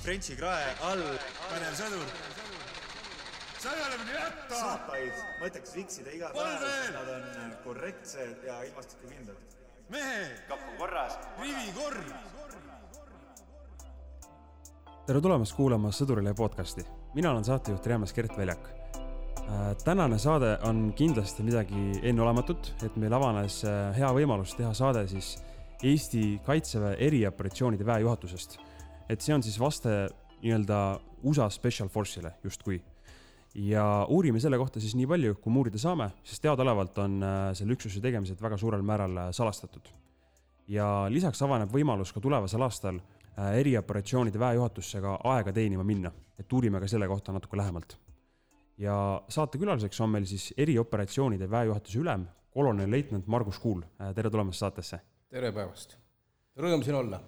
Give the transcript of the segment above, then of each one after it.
Frenchi krae all. Panev sõdur. Sa ei ole minu jätta! Saapaid mõtleks viksida iga päev, sest nad on korrektsed ja ilmastikukindlad. Mehe! Kapu korras. Rivi korr! Tere tulemast kuulama Sõdurile podcasti. Mina olen saatejuht Reamas Gert Väljak. Tänane saade on kindlasti midagi enneolematut, et meil avanes hea võimalus teha saade siis Eesti Kaitseväe erioperatsioonide väejuhatusest. Et see on siis vaste nii-öelda USA Special Force'ile justkui. Ja uurime selle kohta siis nii palju, kui uurida saame, sest teadaolevalt on selle üksuse tegemised väga suurel määral salastatud. Ja lisaks avaneb võimalus ka tulevasel aastal erioperatsioonide väejuhatusse ka aega teenima minna, et uurime ka selle kohta natuke lähemalt. Ja saate külaliseks on meil siis erioperatsioonide väejuhatuse ülem, kolonel leitnant Margus Kuul. Tere tulemast saatesse. Tere päevast. Rõõm siin olla.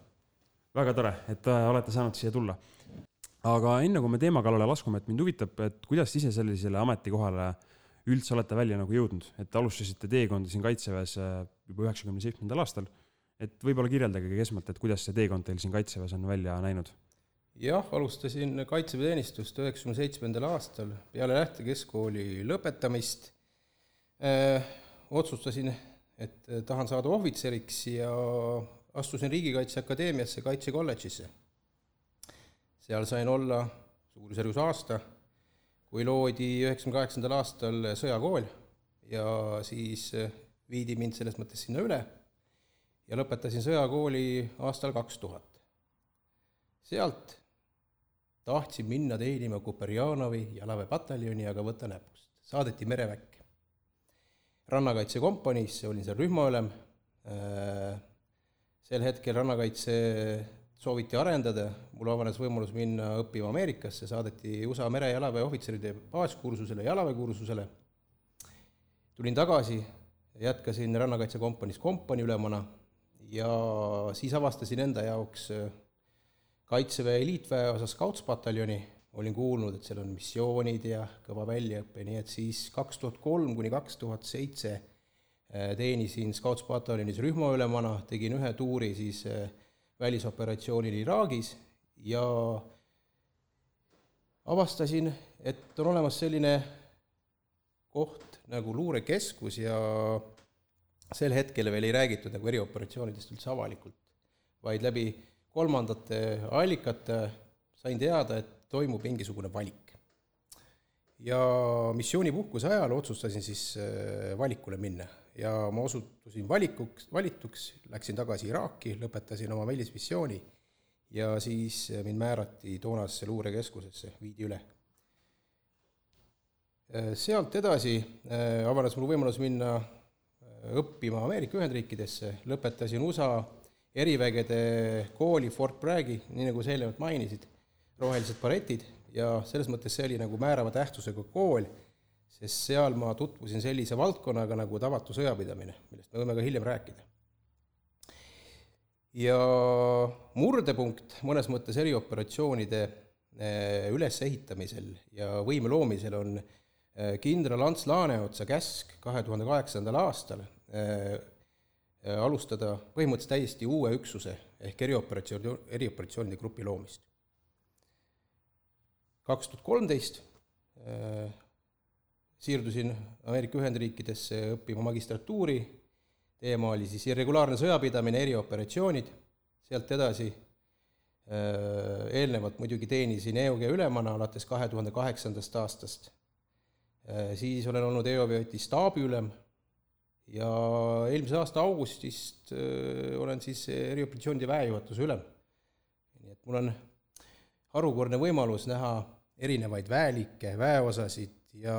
Väga tore, et olete saanud siia tulla. Aga enne kui me teema kallale laskume, et mind huvitab, et kuidas ise sellisele ametikohale üldse olete välja nagu jõudnud, et alustasite teekonda siin Kaitseväes juba 97. aastal, et võib-olla kirjeldage esmalt, et kuidas see teekond teil siin Kaitseväes on välja näinud? Jah, alustasin kaitseväeteenistust 97. aastal peale lähtekeskkooli lõpetamist. Otsustasin, et tahan saada ohvitseriks ja astusin Riigikaitseakadeemiasse Kaitsekolledžisse. Seal sain olla suurusjärgus aasta, kui loodi 98. aastal sõjakool ja siis viidi mind selles mõttes sinna üle ja lõpetasin sõjakooli aastal 2000. Sealt tahtsin minna teenima Kuperjanovi jalaväepataljoni, aga võtta näpust. Saadeti mereväkke. Rannakaitsekompaniisse olin seal rühmaülem. Sel hetkel rannakaitse sooviti arendada, mul avanes võimalus minna õppima Ameerikasse, saadeti USA merejalaväe ohvitseride baaskursusele, jalaväekursusele. Tulin tagasi, jätkasin rannakaitsekompaniis kompaniülemana ja siis avastasin enda jaoks Kaitseväe eliitväeosa Scouts-pataljoni. Olin kuulnud, et seal on missioonid ja kõva väljaõppe, nii et siis 2003 kuni 2007 teenisin Scouts-pataljonis rühmaülemana, tegin ühe tuuri siis välisoperatsioonil Iraagis ja avastasin, et on olemas selline koht nagu luurekeskus ja sel hetkel veel ei räägitud nagu erioperatsioonidest üldse avalikult, vaid läbi kolmandate allikate sain teada, et toimub mingisugune valik. Ja missioonipuhkuse ajal otsustasin siis valikule minna ja ma osutusin valituks, läksin tagasi Iraaki, lõpetasin oma välismissiooni ja siis mind määrati toonasesse luurekeskusesse, viidi üle. Sealt edasi avanes mul võimalus minna õppima Ameerika Ühendriikidesse, lõpetasin USA erivägede kooli Fort Braggi, nii nagu sa eelnevalt mainisid, rohelised baretid ja selles mõttes see oli nagu määrava tähtsusega kool, sest seal ma tutvusin sellise valdkonnaga nagu tavatu sõjapidamine, millest me võime ka hiljem rääkida. Ja murdepunkt mõnes mõttes erioperatsioonide ülesehitamisel ja võime loomisel on kindral Ants Laaneotsa käsk 2008. aastal alustada põhimõtteliselt täiesti uue üksuse ehk erioperatsioonide grupi loomist. 2013 siirdusin Ameerika Ühendriikidesse õppima magistratuuri, teema oli siis irregulaarne sõjapidamine, erioperatsioonid, sealt edasi eelnevalt muidugi teenisin EOG ülemana alates 2008. aastast, siis olen olnud EOG staabiülem ja eelmise aasta augustist olen siis erioperatsioonide väejuhatuse ülem. Nii et mul on harukordne võimalus näha erinevaid väelikke, väeosasid ja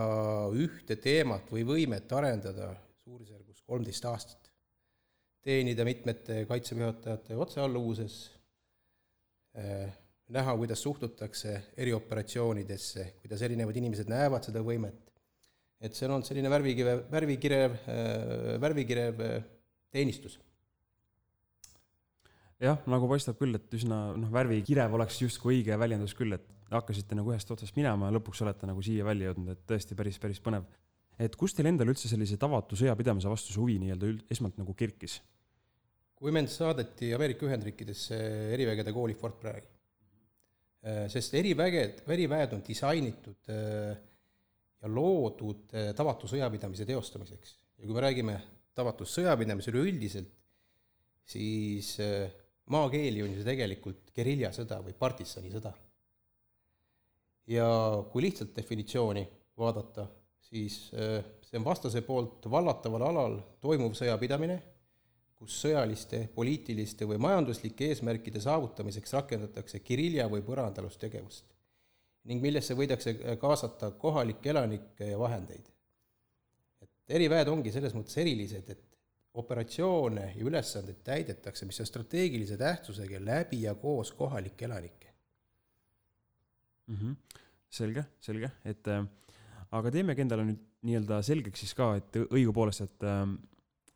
ühte teemat või võimet arendada suurusjärgus 13 aastat. Teenida mitmete kaitseväejuhatajate otsealluvuses, näha, kuidas suhtutakse erioperatsioonidesse, kuidas erinevad inimesed näevad seda võimet. Et see on selline värvikirev teenistus. Jah, nagu paistab küll, et üsna värvikirev oleks justkui õige väljendus küll, et hakkasite nagu ühest otsast minema ja lõpuks olete nagu siia välja jõudnud, et tõesti päris põnev. Et kus teil endal üldse sellise tavatu sõjapidamise vastu see huvi nii-öelda esmalt nagu kirkis? Kui mind saadeti Ameerika Ühendriikidesse erivägede kooli Fort Bragg, sest eriväed on disainitud ja loodud tavatu sõjapidamise teostamiseks. Ja kui me räägime tavatus sõjapidamise üleüldiselt, siis maakeeli on see tegelikult geriljasõda või partisanisõda. Ja kui lihtsalt definitsiooni vaadata, siis see on vastase poolt vallataval alal toimuv sõjapidamine, kus sõjaliste, poliitiliste või majanduslike eesmärkide saavutamiseks rakendatakse gerilja või põrandalust ning millesse võidakse kaasata kohalikke elanikke ja vahendeid. Et eriväed ongi selles mõttes erilised, et operatsioone ja ülesanded täidetakse, mis on strateegilise tähtsusega läbi ja koos kohalike elanike. Selge, et aga teemegi endale nüüd nii-öelda selgeks siis ka, et õigupoolest,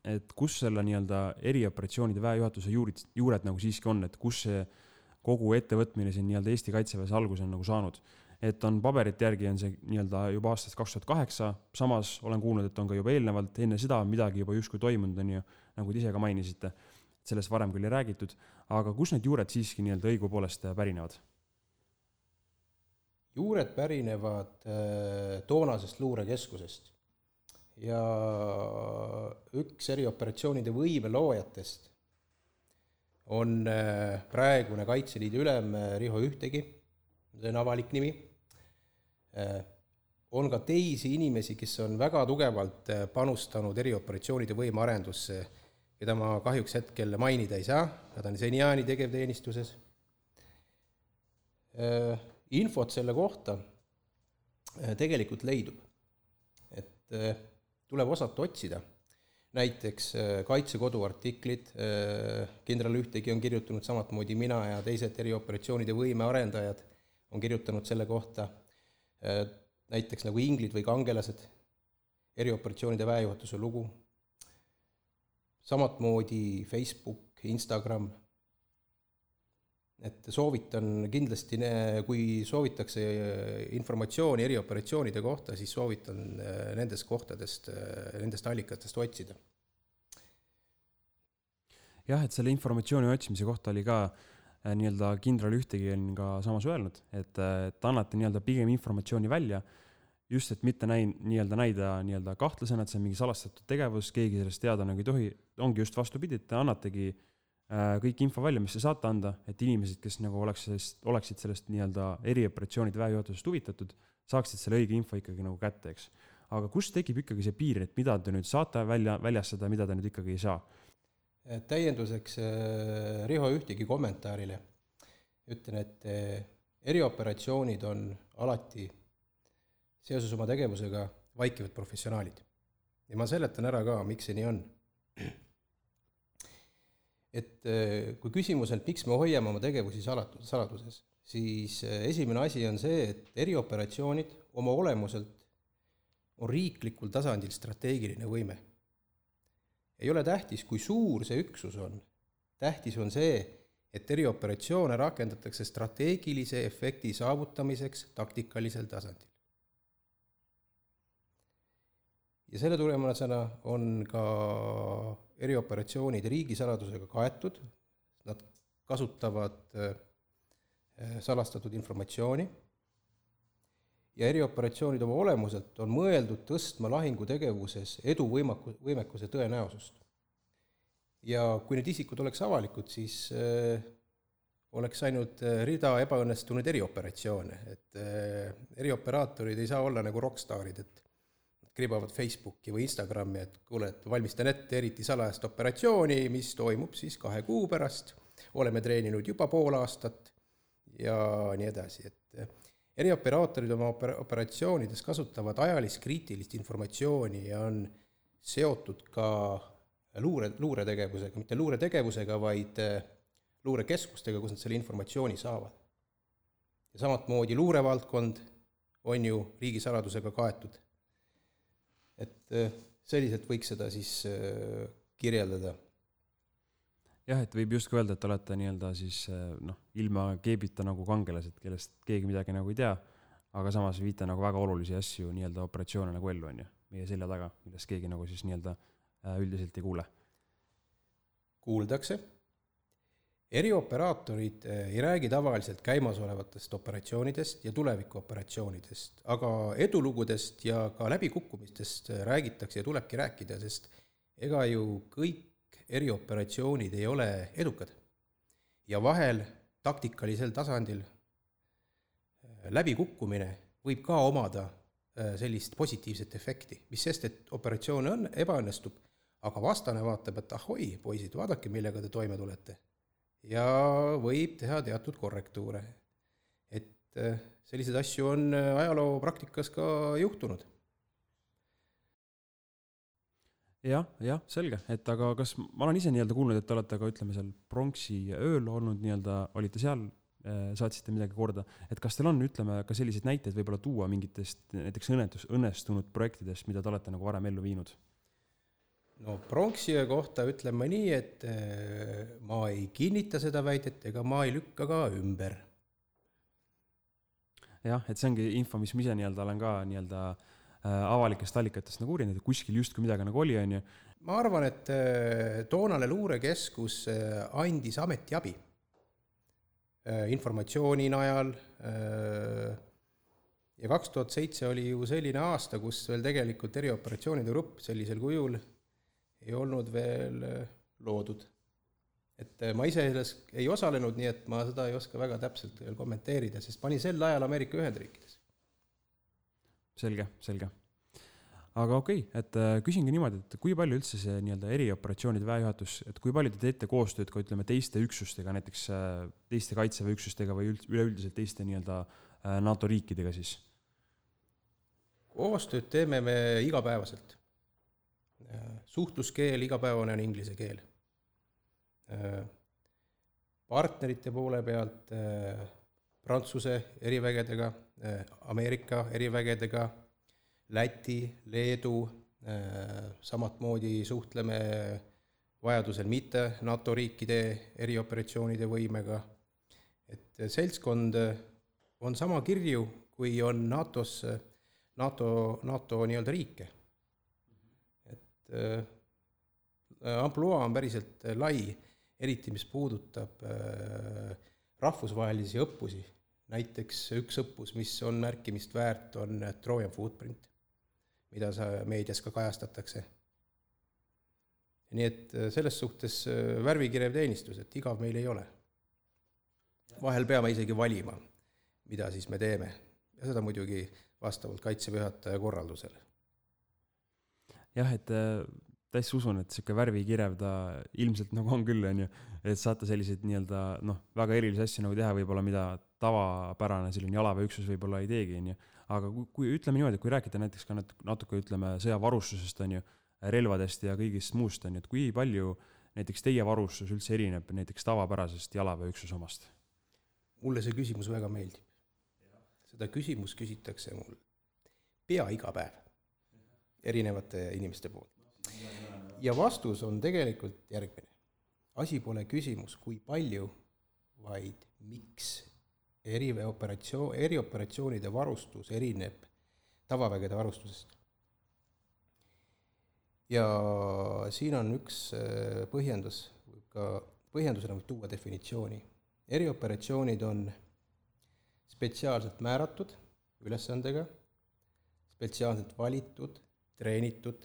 et kus selle nii-öelda erioperatsioonide väejuhatuse juured nagu siiski on, et kus see kogu ettevõtmine siin nii-öelda Eesti Kaitseväes alguse on nagu saanud. Et on paberite järgi on see nii-öelda juba aastast 2008, samas olen kuulnud, et on ka juba eelnevalt, enne seda midagi juba justkui toimunud on ju, nagu te ise ka mainisite, sellest varem küll ei räägitud, aga kus need juured siiski nii-öelda õigupoolest pärinevad? Juured pärinevad toonasest luurekeskusest ja üks erioperatsioonide võime loojatest on praegune Kaitseliidu ülem Riho Ühtegi, see on avalik nimi. On ka teisi inimesi, kes on väga tugevalt panustanud erioperatsioonide võime arendusse, keda ma kahjuks hetkel mainida ei saa, nad on seniaani tegevteenistuses. Infot selle kohta tegelikult leidub, et tuleb osata otsida. Näiteks Kaitsekodu artiklid, kindral Ühtegi on kirjutanud samatmoodi mina ja teised erioperatsioonide võime arendajad on kirjutanud selle kohta, näiteks nagu inglid või kangelased, erioperatsioonide väejuhatuse lugu, samatmoodi Facebook, Instagram, et soovitan kindlasti, kui soovitakse informatsiooni erioperatsioonide kohta, siis soovitan nendest kohtadest, nendest allikatest otsida. Jah, et selle informatsiooni otsimise kohta oli ka nii-öelda kindral Ühtegi on ka samas öelnud, et annate nii-öelda pigem informatsiooni välja, just et mitte näida kahtlasena, et see on mingi salastatud tegevus, keegi sellest teada nagu ei tohi, ongi just vastupidi, et annategi kõik info välja, mis te saate anda, et inimesed, kes nagu oleksid sellest nii-öelda erioperatsioonide väejuhatusest huvitatud, saaksid selle õige info ikkagi nagu kätte, eks. Aga kus tekib ikkagi see piir, et mida te nüüd saate väljastada, mida te nüüd ikkagi ei saa? Täienduseks Riho Ühtegi kommentaarile ütlen, et erioperatsioonid on alati seoses oma tegevusega vaikivad professionaalid. Ja ma seletan ära ka, miks see nii on. Et kui küsimus on, miks me hoiame oma tegevusi saladuses, siis esimene asi on see, et erioperatsioonid oma olemuselt on riiklikul tasandil strateegiline võime. Ei ole tähtis, kui suur see üksus on. Tähtis on see, et erioperatsioone rakendatakse strateegilise efekti saavutamiseks taktikalisel tasandil. Ja selle tulemusena on ka erioperatsioonid riigisaladusega kaetud, nad kasutavad salastatud informatsiooni ja erioperatsioonid oma olemuselt on mõeldud tõstma lahingutegevuses eduvõimekuse tõenäosust. Ja kui need isikud oleks avalikud, siis oleks ainult rida ebaõnnestunud erioperatsioone, et erioperaatorid ei saa olla nagu rockstaarid, et kribavad Facebooki või Instagrami, et kuule, et valmistan ette eriti salajast operatsiooni, mis toimub siis 2 kuu pärast, oleme treeninud juba pool aastat ja nii edasi, et erioperaatorid oma operatsioonides kasutavad ajaliskriitilist informatsiooni ja on seotud ka luuretegevusega, mitte luuretegevusega, vaid luurekeskustega, kus nad selle informatsiooni saavad. Ja samatmoodi luurevaldkond on ju riigisaladusega kaetud. Et selliselt võiks seda siis kirjeldada. Jah, et võib just öelda, et olete nii-öelda siis ilma keebita nagu kangelased, kellest keegi midagi nagu ei tea, aga samas viite nagu väga olulisi asju nii-öelda operatsioone nagu ellu on ju, meie selja taga, millest keegi nagu siis nii-öelda üldiselt ei kuule. Kuuldakse Erioperaatorid ei räägi tavaliselt käimasolevatest operatsioonidest ja tulevikuoperatsioonidest, aga edulugudest ja ka läbikukkumistest räägitakse ja tulebki rääkida, sest ega ju kõik erioperatsioonid ei ole edukad. Ja vahel taktikalisel tasandil läbikukkumine võib ka omada sellist positiivset efekti, mis sest, et operatsioon ebaõnnestub, aga vastane vaatab, et ahoi, poisid, vaadake, millega te toime tulete. Ja võib teha teatud korrektuure. Et sellised asju on ajaloo praktikas ka juhtunud. Jah, selge. Et aga kas ma olen ise nii-öelda kuulnud, et te olete ka, ütleme, seal pronksi ööl olnud nii-öelda, olite seal, saatsite midagi korda, et kas teil on, ütleme, ka selliseid näiteid võib-olla tuua mingitest näiteks õnnestunud projektidest, mida te olete nagu varem ellu viinud? No pronksiöö kohta ütlen ma nii, et ma ei kinnita seda väidet ega ma ei lükka ka ümber. Jah, et see ongi info, mis ma ise nii-öelda olen ka nii-öelda avalikest allikatest nagu uurinud, et kuskil justkui midagi nagu oli, on ju. Ma arvan, et toonane luurekeskus andis ametiabi informatsiooni najal ja 2007 oli ju selline aasta, kus veel tegelikult erioperatsioonide grupp sellisel kujul ei olnud veel loodud. Et ma ise ei osalenud, nii et ma seda ei oska väga täpselt veel kommenteerida, sest pani sel ajal Ameerika Ühendriikides. Selge. Aga okei, et küsingi niimoodi, et kui palju üldse see nii-öelda erioperatsioonide väejuhatus, et kui palju te teete koostööd ka, ütleme, teiste üksustega, näiteks teiste kaitseväeüksustega või üleüldiselt teiste nii-öelda NATO riikidega siis? Koostööd teeme me igapäevaselt. Suhtluskeel igapäevane on inglise keel. Partnerite poole pealt Prantsuse erivägedega, Ameerika erivägedega, Läti, Leedu, samat moodi suhtleme vajadusel mitte NATO riikide erioperatsioonide võimega. Et seltskond on sama kirju, kui on NATO nii-öelda riike. Amploa on päriselt lai, eriti mis puudutab rahvusvahelisi õppusi. Näiteks üks õppus, mis on märkimist väärt, on Trojan Footprint, mida meedias ka kajastatakse. Nii et selles suhtes värvikirev teenistus, et igav meil ei ole. Vahel peame isegi valima, mida siis me teeme. Ja seda muidugi vastavalt kaitseväe korraldusele. Jah, et täis usun, et siuke värvikirev ta ilmselt nagu on küll, on ju, et saate selliseid nii-öelda väga erilisi asju nagu teha võib-olla, mida tavapärane selline jalaväeüksus võib-olla ei teegi, on ju. Aga kui ütleme niimoodi, kui rääkida näiteks ka natuke, ütleme, sõjavarustusest, on ju, relvadest ja kõigist muust, on ju, et kui palju näiteks teie varustus üldse erineb näiteks tavapärasest jalaväeüksuse omast? Mulle see küsimus väga meeldib. Seda küsimus küsitakse mul pea iga päev erinevate inimeste poolt. Ja vastus on tegelikult järgmine. Asi pole küsimus, kui palju, vaid miks erioperatsioonide varustus erineb tavavägede varustusest. Ja siin on üks põhjendusena võib tuua definitsiooni. Erioperatsioonid on spetsiaalselt määratud ülesandega, spetsiaalselt valitud, treenitud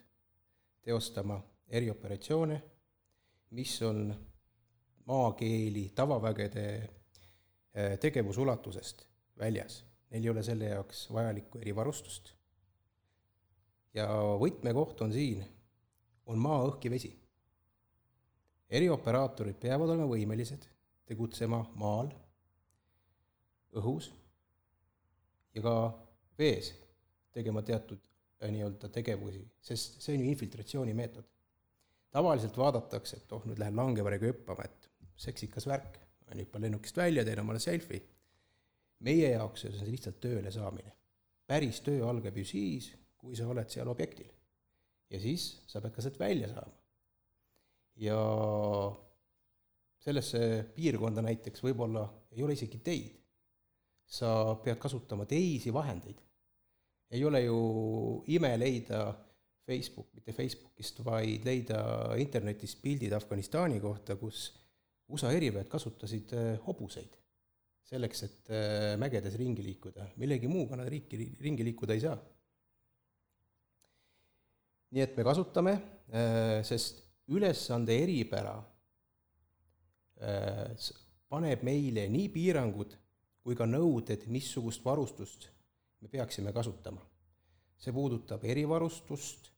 teostama erioperatsioone, mis on maakeeli tavavägede tegevusulatusest väljas. Neil ei ole selle jaoks vajalikku erivarustust. Ja võtmekoht on siin, on maa, õhk ja vesi. Erioperaatorid peavad olema võimelised tegutsema maal, õhus ja ka vees tegema teatud nii-öelda tegevusi, sest see on ju infiltratsiooni meetod. Tavaliselt vaadatakse, et nüüd lähen langevarega hüppama, et seksikas värk, hüppan lennukist välja, teen omale selfie. Meie jaoks on see lihtsalt tööle saamine. Päris töö algab ju siis, kui sa oled seal objektil. Ja siis sa pead ka sealt välja saama. Ja sellesse piirkonda näiteks võib-olla ei ole isegi teid. Sa pead kasutama teisi vahendeid. Ei ole ju ime leida mitte Facebookist, vaid leida internetist pildid Afganistani kohta, kus USA eriväed kasutasid hobuseid selleks, et mägedes ringi liikuda. Millegi muuga nad ringi liikuda ei saa. Nii et me kasutame, sest ülesande eripära paneb meile nii piirangud kui ka nõuded, missugust varustust me peaksime kasutama. See puudutab erivarustust,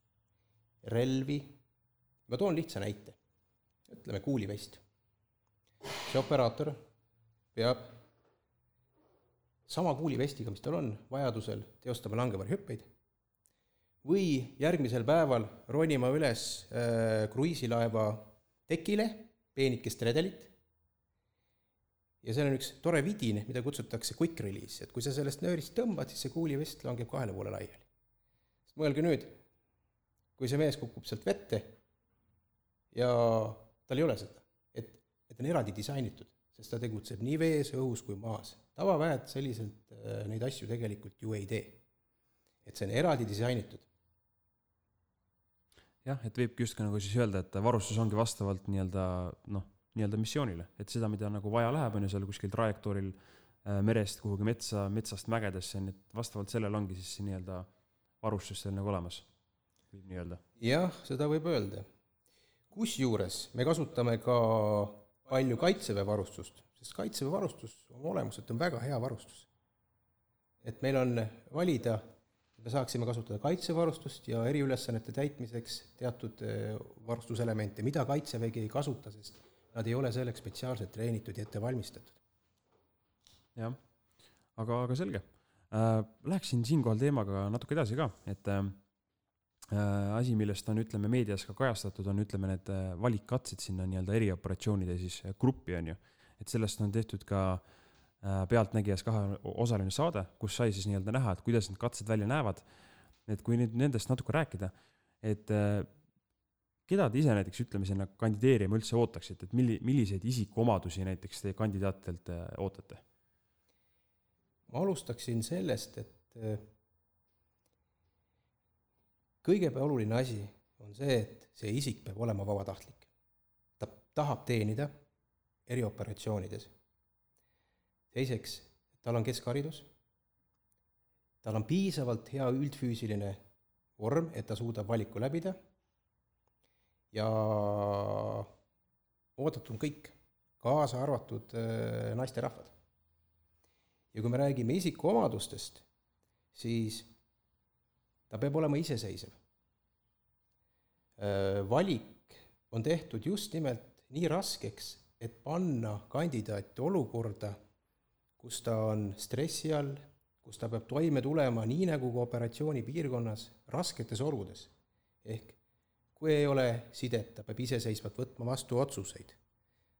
relvi. Ma toon lihtsa näite. Ütleme kuulivest. See operaator peab sama kuulivestiga, mis tal on, vajadusel teostama langevarihüppeid või järgmisel päeval ronima üles kruiisilaeva tekile, peenikest redelit. Ja see on üks tore vidin, mida kutsutakse quick release, et kui sa sellest nöörist tõmbad, siis see kuulivest langeb 2 poole laiali. Sest mõelge nüüd, kui see mees kukub sealt vette ja tal ei ole seda, et on eraldi disainitud, sest ta tegutseb nii vees, õhus kui maas. Tavaväed selliselt neid asju tegelikult ju ei tee. Et see on eraldi disainitud. Jah, et võibki just nagu siis öelda, et varustus ongi vastavalt nii-öelda missioonile. Et seda, mida nagu vaja läheb, on ju seal kuskil trajektooril merest kuhugi metsast mägedesse, et vastavalt sellel ongi siis nii-öelda varustus seal nagu olemas. Võib nii öelda. Jah, seda võib öelda. Kusjuures me kasutame ka palju kaitseväe varustust, sest kaitseväe varustus on olemuselt on väga hea varustus. Et meil on valida, me saaksime kasutada kaitsevarustust ja eriülesannete täitmiseks teatud varustuselemente, mida kaitsevägi ei kasuta, sest nad ei ole selleks spetsiaalselt treenitud ja ette valmistatud. Jah, aga selge. Läheksin siinkohal teemaga natuke edasi ka, et asi, millest on, ütleme, meedias ka kajastatud, on, ütleme, need valikkatsed sinna nii-öelda erioperatsioonide siis gruppi on ju. Et sellest on tehtud ka Pealtnägijas 2-osaline saade, kus sai siis nii-öelda näha, et kuidas need katsed välja näevad. Et kui nüüd nendest natuke rääkida, et keda te ise näiteks, ütleme, sinna kandideerima üldse ootaksite, et milliseid isikuomadusi näiteks te kandidaatidelt ootate? Ma alustaksin sellest, et kõige oluline asi on see, et see isik peab olema vabatahtlik. Ta tahab teenida erioperatsioonides. Teiseks, tal on keskharidus, tal on piisavalt hea üldfüüsiline vorm, et ta suudab valiku läbida ja oodatud kõik, kaasa arvatud naisterahvad. Ja kui me räägime isikuomadustest, siis ta peab olema iseseisev. Valik on tehtud just nimelt nii raskeks, et panna kandidaati olukorda, kus ta on stressi all, kus ta peab toime tulema nii nagu operatsiooni piirkonnas rasketes oludes. Ehk kui ei ole sidet, ta peab iseseisvalt võtma vastu otsuseid.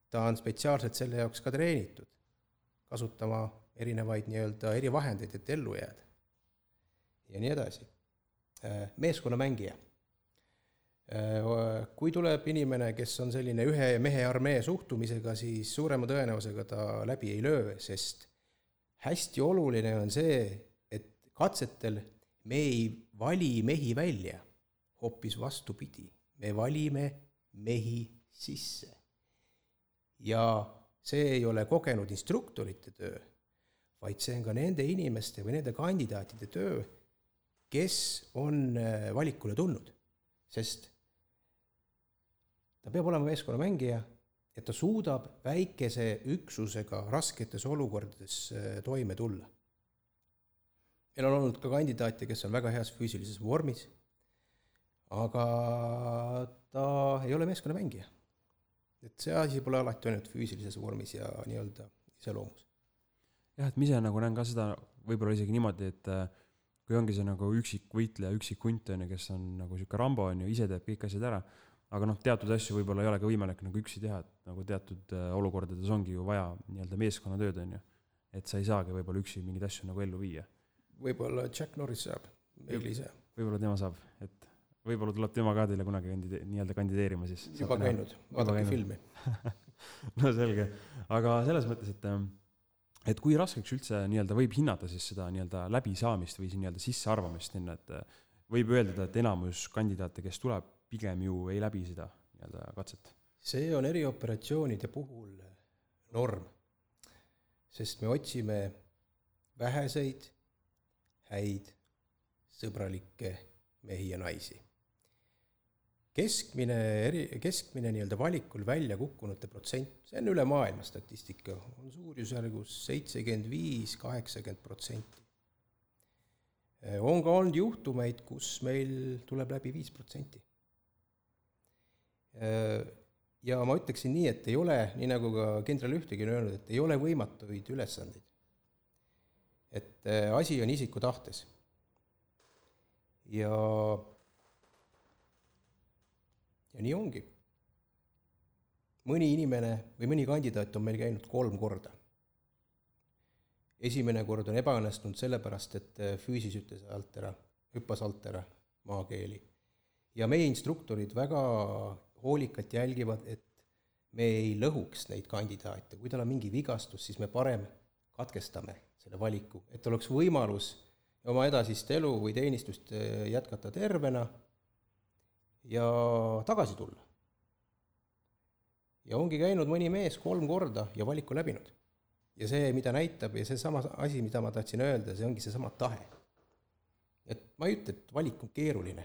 Ta on spetsiaalselt selle jaoks ka treenitud, kasutama erinevaid nii-öelda erivahendeid, et ellu jääda. Ja nii edasi. Meeskonnamängija. Kui tuleb inimene, kes on selline ühe mehe armee suhtumisega, siis suurema tõenäosusega ta läbi ei löö, sest hästi oluline on see, et katsetel me ei vali mehi välja, hoopis vastupidi. Me valime mehi sisse. Ja see ei ole kogenud instruktorite töö, vaid see on ka nende inimeste või nende kandidaatide töö, kes on valikule tulnud. Sest ta peab olema meeskonnamängija, et ta suudab väikese üksusega rasketes olukordades toime tulla. Meil on olnud ka kandidaate, kes on väga heas füüsilises vormis, aga ta ei ole meeskonnamängija. Et see asi pole alati ainult füüsilises vormis ja nii-öelda iseloomus. Jah, et ma ise nagu näen ka seda võib-olla isegi niimoodi, et kui ongi see nagu üksik võitleja, üksik hunt, kes on nagu siuke Rambo, ise teeb kõik asjad ära, aga teatud asju võib-olla ei ole ka võimalik nagu üksi teha, et nagu teatud olukordades ongi ju vaja nii-öelda meeskonnatööd, et sa ei saagi võib-olla üksi mingid asju nagu ellu viia. Võib-olla Jack Norris saab, meil ei saa. Võib-olla tema saab, et võib-olla tuleb tema ka teile kunagi nii-öelda kandideerima siis. Juba käinud, vaadake filmi. No selge, aga selles mõttes, et kui raskeks üldse nii-öelda võib hinnata siis seda nii-öelda läbisaamist või nii-öelda sissearvamist, et võib öelda, et enamus kandidaate, kes tuleb, pigem ju ei läbi seda nii-öelda katset. See on erioperatsioonide puhul norm, sest me otsime väheseid, häid, sõbralikke mehi ja naisi. Keskmine nii-öelda valikul välja kukkunute protsent, see on üle maailma statistika, on suurusjärgus 75-80%. On ka olnud juhtumeid, kus meil tuleb läbi 5%. Ja ma ütleksin nii, et ei ole, nii nagu ka kindral Ühtegi on öelnud, et ei ole võimatuid ülesandeid. Et asi on isiku tahtes. Ja nii ongi. Mõni inimene või mõni kandidaat on meil käinud 3 korda. Esimene kord on ebaõnnestunud sellepärast, et füüsis hüppas alt ära maakeeli. Ja meie instruktorid väga hoolikalt jälgivad, et me ei lõhuks neid kandidaate. Kui tal on mingi vigastus, siis me parem katkestame selle valiku, et oleks võimalus oma edasist elu või teenistust jätkata tervena ja tagasi tulla. Ja ongi käinud mõni mees 3 korda ja valiku läbinud. Ja see, mida näitab, ja see sama asi, mida ma tahtsin öelda, see ongi see sama tahe. Et ma ei ütle, et valik on keeruline.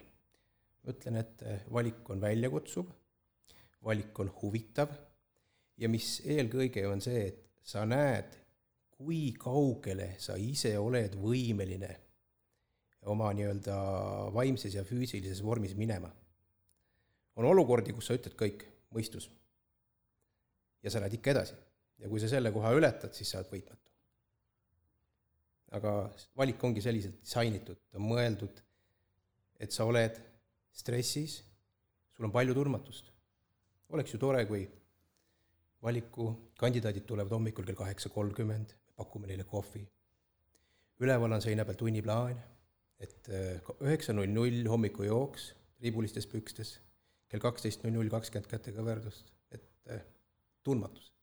Ma ütlen, et valik on väljakutsuv, valik on huvitav ja mis eelkõige on see, et sa näed, kui kaugele sa ise oled võimeline oma nii-öelda vaimses ja füüsilises vormis minema. On olukordi, kus sa ütled kõik, mõistus. Ja sa lähed ikka edasi. Ja kui sa selle koha ületad, siis sa oled võitmatu. Aga valik ongi selliselt disainitud, on mõeldud, et sa oled stressis, sul on palju turmatust. Oleks ju tore, kui valiku kandidaadid tulevad hommikul kell 8:30, pakume neile kohvi. Üleval on seina peal tunniplaan, et 9:00 hommiku jooks, riibulistes pükstes, kell 12:00 20 kätte kõverdust, et tundmatus.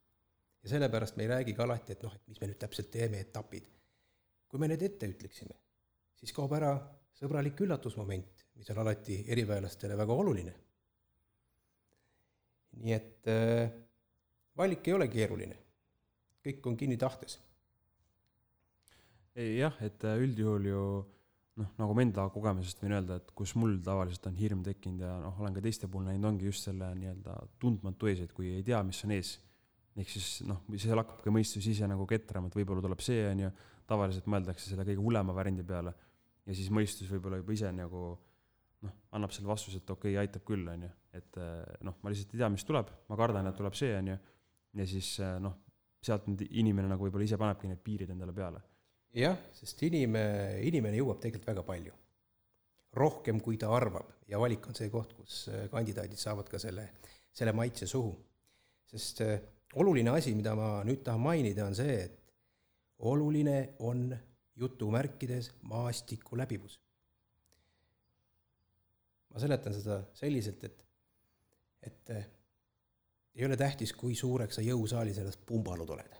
Ja sellepärast me ei räägigi alati, et et mis me nüüd täpselt teeme, etapid. Kui me need ette ütleksime, siis kaob ära sõbralik üllatusmoment, mis on alati eriväelastele väga oluline. Nii et valik ei ole keeruline. Kõik on kinni tahtes. Jah, et üldjuhul ju, nagu ma enda kogemusest võin öelda, et kus mul tavaliselt on hirm tekkinud ja olen ka teiste puhul näinud, ongi just selle nii-öelda tundmatu ees, et kui ei tea, mis on ees. Ehk siis, see hakkab ka mõistus ise nagu ketrama, et võib-olla tuleb see on ju, tavaliselt mõeldakse selle kõige hulema variandi peale ja siis mõistus võib-olla juba ise nagu annab selle vastuse, et okei, aitab küll, on ju. Et ma lihtsalt ei tea, mis tuleb, ma kardan, et tuleb see, on ju. Ja siis sealt inimene nagu võib-olla ise panebki need piirid endale peale. Jah, sest inimene jõuab tegelikult väga palju. Rohkem, kui ta arvab. Ja valik on see koht, kus kandidaadid saavad ka selle maitse suhu. Sest oluline asi, mida ma nüüd tahan mainida, on see, et oluline on jutumärkides maastiku läbivus. Ma seletan seda selliselt, et ei ole tähtis, kui suureks sa jõusaalis ennast pumbanud oled.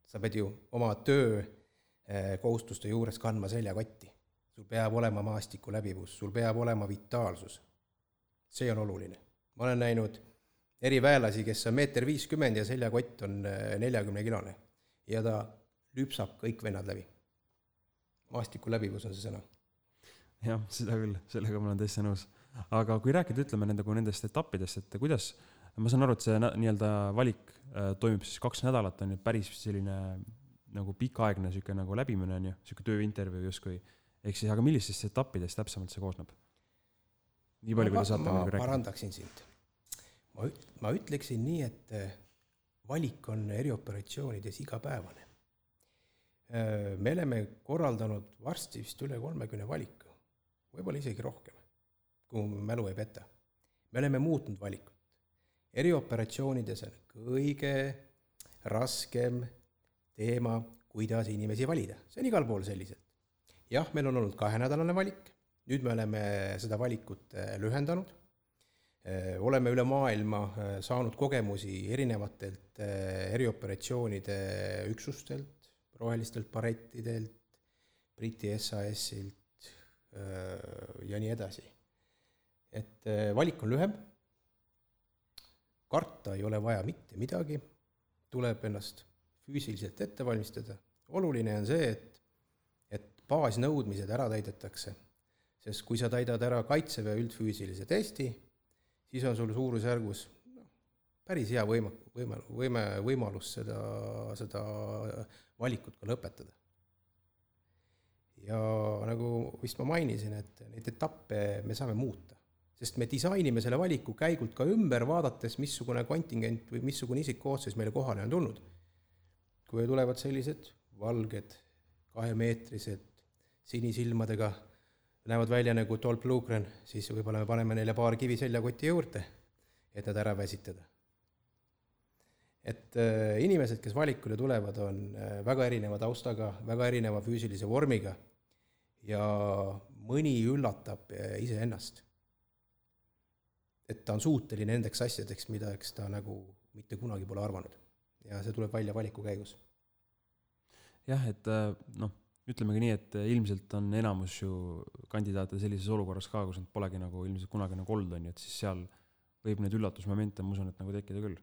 Sa pead ju oma töö kohustuste juures kandma seljakotti. Sul peab olema maastiku läbivus, sul peab olema vitaalsus. See on oluline. Ma olen näinud eriväelasi, kes on 1,50 m ja seljakott on 40-kilone ja ta lüpsab kõik vennad läbi. Maastiku läbivus on see sõna. Jah, seda küll, sellega ma olen täitsa nõus. Aga kui rääkida, ütleme nendest etappidest, et kuidas, ma saan aru, et see nii-öelda valik toimub siis 2 nädalat, on päris selline nagu pikaaegne nagu läbimine, on ju, selline tööintervjuu justkui. Ehk siis, aga millistest etappidest täpsemalt see koosneb? Nii palju, kui te saate ma parandaksin sind. Ma ütleksin nii, et valik on erioperatsioonides igapäevane. Me oleme korraldanud varsti vist üle 30 valiku, võib-olla isegi rohkem, kui mälu ei peta. Me oleme muutnud valikut. Erioperatsioonides on kõige raskem teema, kuidas inimesi valida. See on igal pool selliselt. Jah, meil on olnud 2-nädalane valik, nüüd me oleme seda valikut lühendanud. Oleme üle maailma saanud kogemusi erinevatelt erioperatsioonide üksustelt, rohelistelt barettidelt, Briti SAS-ilt ja nii edasi. Et valik on lühem, karta ei ole vaja mitte midagi, tuleb ennast füüsiliselt ette valmistada. Oluline on see, et baasnõudmised ära täidetakse, sest kui sa täidad ära Kaitseväe üldfüüsilise testi, siis on sul suurusjärgus päris hea võimalus seda valikut ka lõpetada. Ja nagu vist ma mainisin, et neid etappe me saame muuta, sest me disainime selle valiku käigult ka ümber, vaadates, missugune kontingent või missugune isikkoosseis meile kohale on tulnud. Kui tulevad sellised valged, 2-meetrised, sinisilmadega, näevad välja nagu Dolph Lundgren, siis võib-olla me paneme neile paar kivi seljakoti juurde, et nad ära väsitada. Et inimesed, kes valikule tulevad, on väga erineva taustaga, väga erineva füüsilise vormiga ja mõni üllatab iseennast. Et ta on suuteline nendeks asjadeks, mida eks ta nagu mitte kunagi pole arvanud. Ja see tuleb välja valiku käigus. Jah, et ütlemegi nii, et ilmselt on enamus ju kandidaate sellises olukorras ka, kus nad polegi nagu ilmselt kunagi nagu olnud on, et siis seal võib need üllatusmomente, ma usun, et nagu tekkida küll.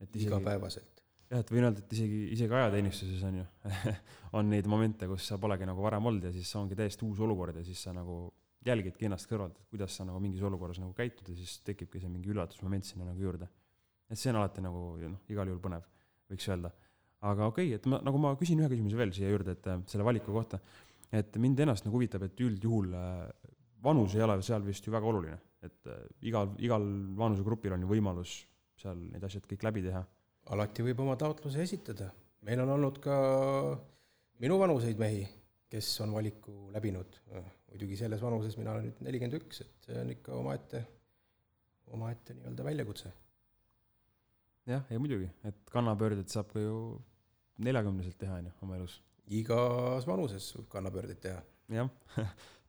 Et igapäevaselt. Jah, et võin öelda, et isegi ajateenistuses on ju on neid momente, kus sa polegi nagu varem olnud ja siis ongi täiesti uus olukord ja siis sa nagu jälgidki ennast kõrvalt, et kuidas sa nagu mingis olukorras nagu käitud ja siis tekibki see mingi üllatusmoment sinna nagu juurde. Et see on alati nagu igal juhul põnev, võiks öelda. Aga okei, et ma küsin ühe küsimuse veel siia juurde, et selle valiku kohta, et mind ennast nagu huvitab, et üldjuhul vanus ei ole seal vist ju väga oluline, et igal vanusegrupil on ju võimalus seal need asjad kõik läbi teha. Alati võib oma taotluse esitada. Meil on olnud ka minu vanuseid mehi, kes on valiku läbinud. Muidugi selles vanuses mina olen nüüd 41, et see on ikka omaette nii-öelda väljakutse. Jah, ja muidugi, et kannapöörded saab ka ju 40-selt teha oma elus. Igas vanuses võib kannapöördeid teha. Jah,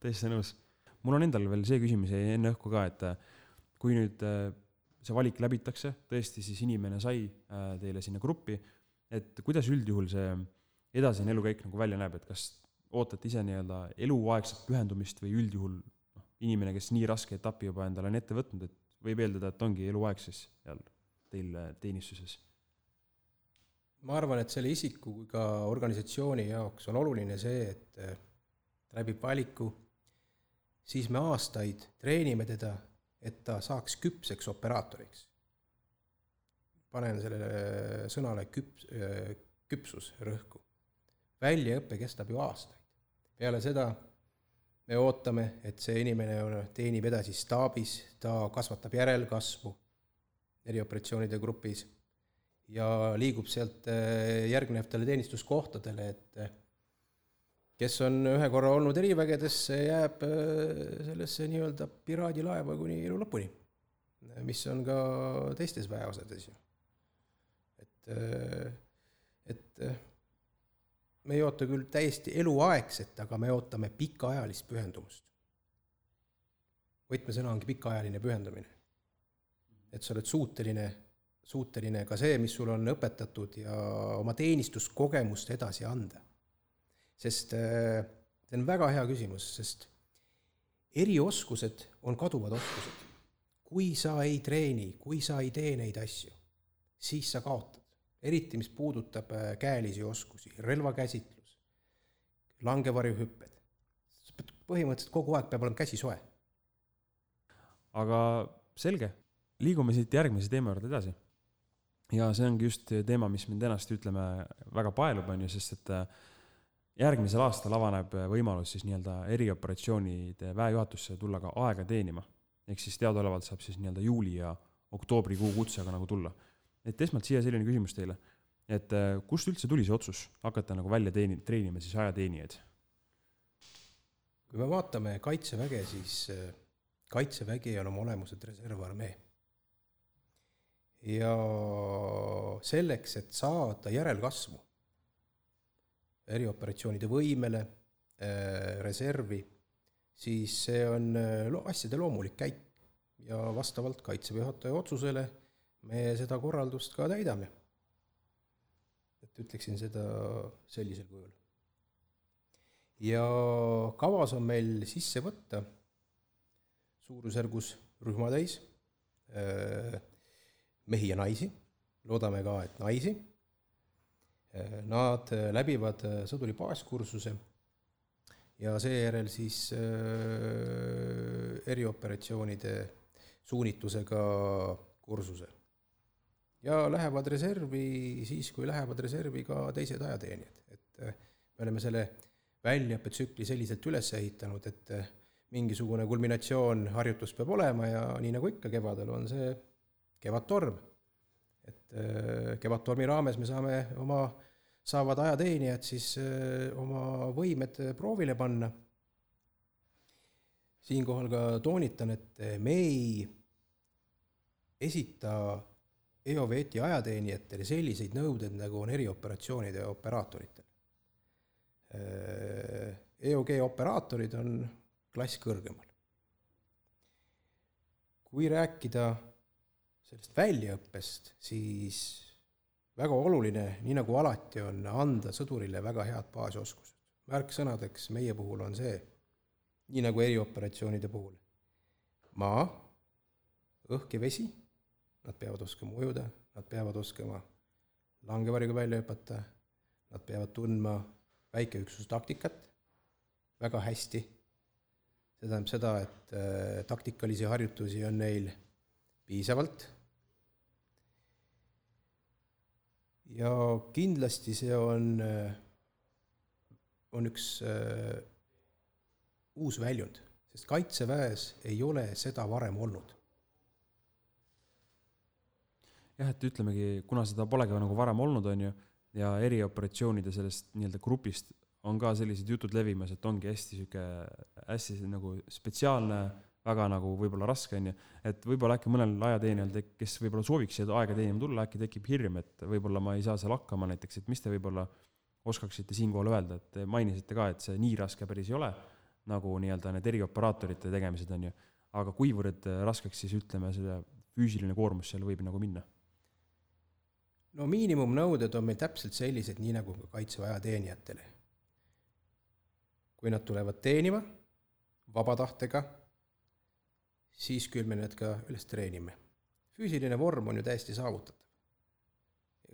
tõesti nõus. Mul on endal veel see küsimus enne õhku ka, et kui nüüd see valik läbitakse, tõesti siis inimene sai teile sinna gruppi, et kuidas üldjuhul see edasine elukäik nagu välja näeb, et kas ootate ise nii-öelda eluaegset pühendumist või üldjuhul inimene, kes nii raske etapi juba endale on ette võtnud, et võib eeldada, et ongi eluaegses teil teenistuses? Ma arvan, et selle isiku kui ka organisatsiooni jaoks on oluline see, et läbib valiku, siis me aastaid treenime teda, et ta saaks küpseks operaatoriks. Panen sellele sõnale küpsus rõhku. Väljaõppe kestab ju aastaid. Peale seda me ootame, et see inimene teenib edasi staabis, ta kasvatab järelkasvu erioperatsioonide grupis ja liigub sealt järgnevatele teenistuskohtadele, et kes on ühe korra olnud erivägedesse, jääb sellesse nii-öelda piraadilaeva kuni elu lõpuni, mis on ka teistes väeosades ju. Et me ei oota küll täiesti eluaegset, aga me ootame pikaajalist pühendumust. Võtmesõna ongi pikaajaline pühendumine. Et sa oled suuteline ka see, mis sul on õpetatud ja oma teenistuskogemust edasi anda. Sest see on väga hea küsimus, sest erioskused on kaduvad oskused. Kui sa ei treeni, kui sa ei tee neid asju, siis sa kaotad. Eriti, mis puudutab käelisi oskusi, relvakäsitlus, langevarjuhüpped. Põhimõtteliselt kogu aeg peab olema käsi soe. Aga selge, liigume siit järgmise teema juurde edasi. Ja see ongi just teema, mis mind ennast ütleme väga paelub on ju, sest et järgmisel aastal avaneb võimalus siis nii-öelda erioperatsioonide väejuhatusse tulla ka aega teenima. Ehk siis teadaolevalt saab siis nii-öelda juuli ja oktoobrikuu kutsega nagu tulla. Et esmalt siia selline küsimus teile, et kust üldse tuli see otsus hakata nagu välja treenima siis ajateenijaid? Kui me vaatame Kaitseväge, siis Kaitsevägi on oma olemuselt reservarmee. Ja selleks, et saada järelkasvu erioperatsioonide võimele, reservi, siis see on asjade loomulik käik ja vastavalt Kaitseväe juhataja otsusele me seda korraldust ka täidame. Et ütleksin seda sellisel kujul. Ja kavas on meil sisse võtta suurusjärgus rühmatäis. mehi ja naisi, loodame ka, et naisi. Nad läbivad sõduri baaskursuse ja seejärel siis erioperatsioonide suunitlusega kursuse. Ja lähevad reservi siis, kui lähevad reservi ka teised ajateenijad. Et me oleme selle väljaõppetsükli selliselt üles ehitanud, et mingisugune kulminatsioon harjutus peab olema ja nii nagu ikka kevadel on see kevadtorm. Et kevadtormi raames me saavad ajateenijad siis oma võimed proovile panna. Siinkohal ka toonitan, et me ei esita EOVET-i ajateenijatele selliseid nõudeid, nagu on erioperatsioonide operaatoritel. EOG operaatorid on klass kõrgemal. Kui rääkida sellest väljaõppest, siis väga oluline, nii nagu alati on, anda sõdurile väga head baasioskused. Märksõnadeks meie puhul on see, nii nagu erioperatsioonide puhul. Maa, õhk ja vesi, nad peavad oskama ujuda, nad peavad oskama langevariga välja hüpata, nad peavad tundma väikeüksustaktikat väga hästi. See tähendab seda, et taktikalisi harjutusi on neil piisavalt. Ja kindlasti see on üks uus väljund, sest kaitseväes ei ole seda varem olnud. Jah, et ütlemegi, kuna seda polegi nagu varem olnud on ju, ja erioperatsioonide sellest nii-öelda grupist on ka sellised jutud levimas, et ongi hästi nagu spetsiaalne, väga nagu võib-olla raske on ju, et võib-olla äkki mõnel ajateenijal, kes võib-olla sooviks aega teenima tulla, äkki tekib hirm, et võib-olla ma ei saa seal hakkama näiteks, et mis te võib-olla oskaksite siinkohal öelda, et mainisite ka, et see nii raske päris ei ole, nagu nii-öelda need erioperaatorite tegemised on ju, aga kuivõrd raskeks siis ütleme, selle füüsiline koormus seal võib nagu minna? No miinimumnõuded on meil täpselt sellised, nii nagu kaitseväe ajateenijatele. Kui nad tulevad teenima vabatahtega, siis küll me need ka üles treenime. Füüsiline vorm on ju täiesti saavutatav.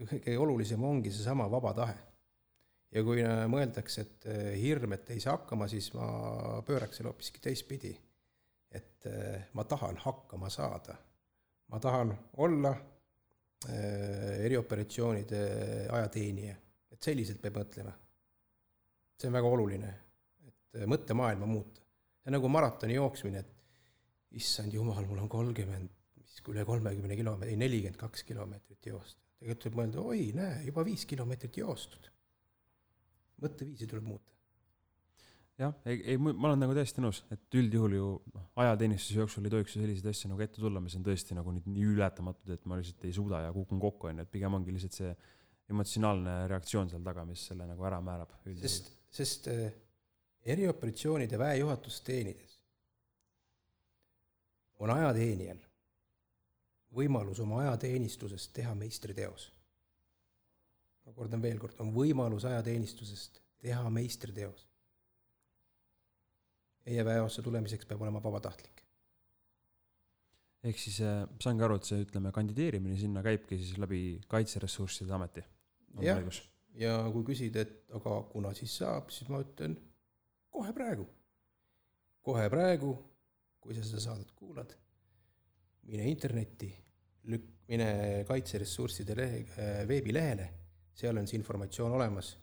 Kõige olulisem ongi see sama vaba tahe. Ja kui mõeldakse, et hirm, et ei saa hakkama, siis ma pööraks selle hoopiski teistpidi. Et ma tahan hakkama saada. Ma tahan olla erioperatsioonide ajateenija. Et selliselt peab mõtlema. See on väga oluline, et mõttemaailma muuta. See on nagu maratoni jooksmine, et issand jumal, mul on üle 30 kilomeetrit, 42 kilomeetrit joost. Tegelikult võib mõelda, oi, näe, juba 5 kilomeetrit joostud. Mõtteviisi tuleb muuta. Jah, ma olen nagu täiesti nõus, et üldjuhul ju ajateenistuse jooksul ei tohiks selliseid asju nagu ette tulla, mis on tõesti nagu nii ületamatud, et ma lihtsalt ei suuda ja kukun kokku, et pigem ongi lihtsalt see emotsionaalne reaktsioon seal taga, mis selle nagu ära määrab. Sest erioperatsioonide väejuhatust teenides on ajateenijal võimalus oma ajateenistusest teha meistriteos. Ma kordan veel kord, on võimalus ajateenistusest teha meistriteos. Meie väeossa tulemiseks peab olema vabatahtlik. Ehk siis saangi aru, et see kandideerimine sinna käibki siis läbi Kaitseressursside ameti. Ja kui küsid, et aga kuna siis saab, siis ma ütlen kohe praegu. Kohe praegu, kui sa seda saadet kuulad, mine internetti, mine Kaitseressursside veebilehele, seal on see informatsioon olemas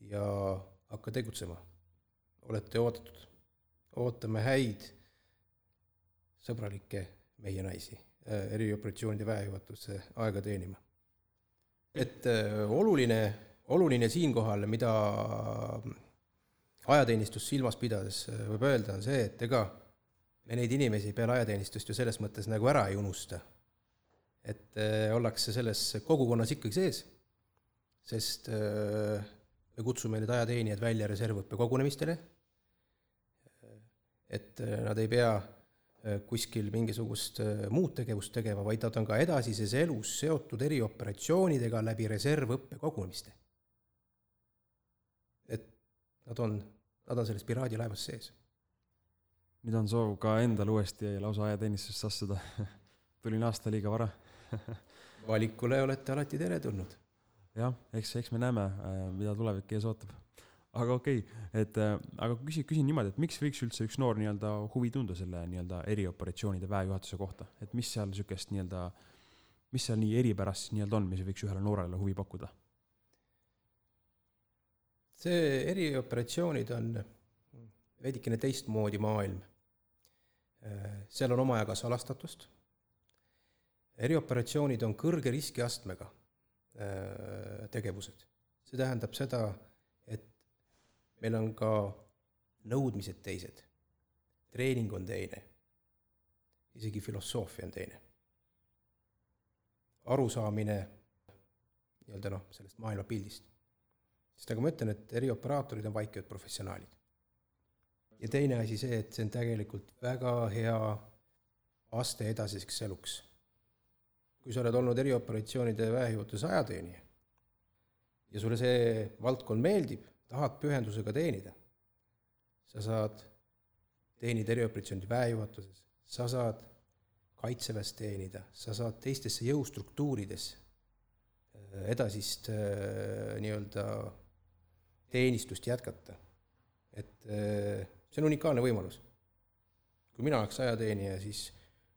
ja hakka tegutsema. Olete oodatud. Ootame häid, sõbralikke meie naisi erioperatsioonide väejuhatusse aega teenima. Et oluline siinkohal, mida ajateenistus silmas pidades võib öelda, on see, et ega me neid inimesi peale ajateenistust ju selles mõttes nagu ära ei unusta. Et ollakse selles kogukonnas ikkagi sees, sest me kutsume need ajateenijad välja reservõppe kogunemistele, et nad ei pea kuskil mingisugust muud tegevust tegema, vaid nad on ka edasises elus seotud erioperatsioonidega läbi reservõppe kogunemiste. Et nad on selles piraadilaevas sees. Nüüd on soov ka endal uuesti lausa ajateenistust astuda. Tulin aasta liiga vara. Valikule olete alati teretulnud. Jah, eks me näeme, mida tulevik ees ootab. Aga okei, aga küsin niimoodi, et miks võiks üldse üks noor nii-öelda huvi tunda selle nii-öelda erioperatsioonide väejuhatuse kohta? Et mis seal sükest nii-öelda, mis seal nii eripärast nii-öelda on, mis võiks ühele noorele huvi pakkuda? See erioperatsioonid on veidikene teistmoodi maailm. Seal on omajaga salastatust. Erioperatsioonid on kõrge riskiastmega tegevused. See tähendab seda, et meil on ka nõudmised teised. Treening on teine. Isegi filosoofia on teine. Arusaamine nii-öelda sellest maailmapildist. Sest nagu ma ütlen, et erioperaatorid on vaikivad professionaalid. Ja teine asi see, et see on tegelikult väga hea aste edasiseks eluks. Kui sa oled olnud erioperatsioonide väejuhatuse ajateenija ja sulle see valdkond meeldib, tahad pühendusega teenida, sa saad teenida erioperatsioonide väejuhatuses, sa saad kaitseväes teenida, sa saad teistesse jõustruktuurides edasist nii-öelda teenistust jätkata. Et see on unikaalne võimalus. Kui mina oleks ajateenija, siis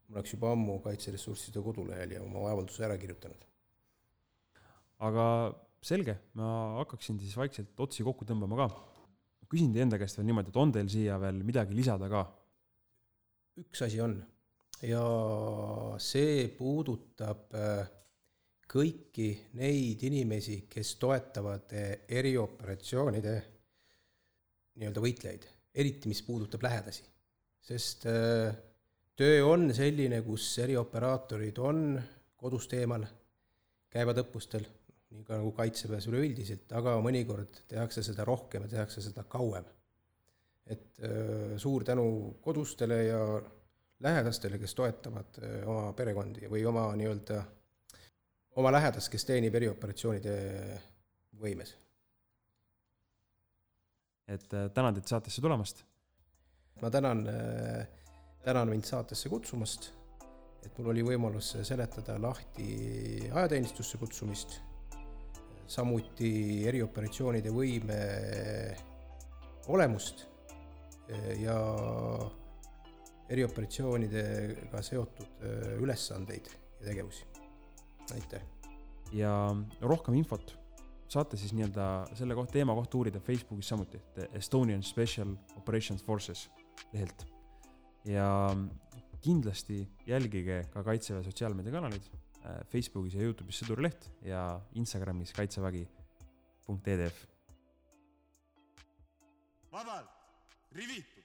mul oleks juba ammu kaitseressursside kodulehel ja oma avalduse ära kirjutanud. Aga selge, ma hakkaksin siis vaikselt otsi kokku tõmbama ka. Küsin teie enda käest veel niimoodi, et on teil siia veel midagi lisada ka? Üks asi on ja see puudutab kõiki neid inimesi, kes toetavad erioperatsioonide nii-öelda võitlejaid, eriti mis puudutab lähedasi. Sest töö on selline, kus erioperaatorid on kodust eemal, käivad õppustel, nii ka nagu kaitseväes üleüldiselt, aga mõnikord tehakse seda rohkem ja tehakse seda kauem. Et suur tänu kodustele ja lähedastele, kes toetavad oma perekondi või oma nii-öelda oma lähedast, kes teenib erioperatsioonide võimes. Et tänan teid saatesse tulemast. Ma tänan mind saatesse kutsumast, et mul oli võimalus seletada lahti ajateenistusse kutsumist, samuti erioperatsioonide võime olemust ja erioperatsioonidega seotud ülesandeid ja tegevusi. Aitäh! Ja rohkem infot saate siis nii-öelda selle teema kohta uurida Facebookis samuti, Estonian Special Operations Forces lehelt. Ja kindlasti jälgige ka Kaitseväe sotsiaalmeediakanalid Facebookis ja YouTube'is Sõdurileht ja Instagramis kaitsevägi.edf. Vabalt, rivitud!